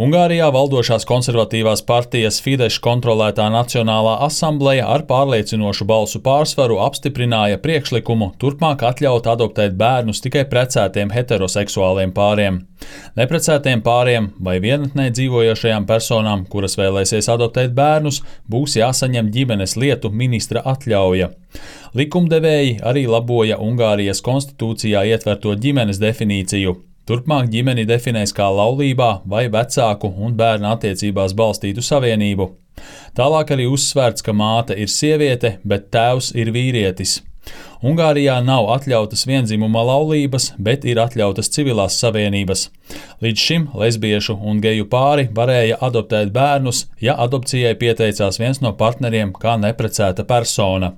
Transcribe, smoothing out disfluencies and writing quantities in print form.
Ungārijā valdošās konservatīvās partijas Fidesz kontrolētā Nacionālā asambleja ar pārliecinošu balsu pārsvaru apstiprināja priekšlikumu turpmāk atļaut adoptēt bērnus tikai precētiem heteroseksuāliem pāriem. Neprecētiem pāriem vai vienatnē dzīvojošajām personām, kuras vēlēsies adoptēt bērnus, būs jāsaņem ģimenes lietu ministra atļauja. Likumdevēji arī laboja Ungārijas konstitūcijā ietverto ģimenes definīciju. Turpmāk ģimeni definēs kā laulībā vai vecāku un bērna attiecībās balstītu savienību. Tālāk arī uzsvērts, ka māte ir sieviete, bet tēvs ir vīrietis. Ungārijā nav atļautas vienzimuma laulības, bet ir atļautas civilās savienības. Līdz šim lesbiešu un geju pāri varēja adoptēt bērnus, ja adopcijai pieteicās viens no partneriem kā neprecēta persona.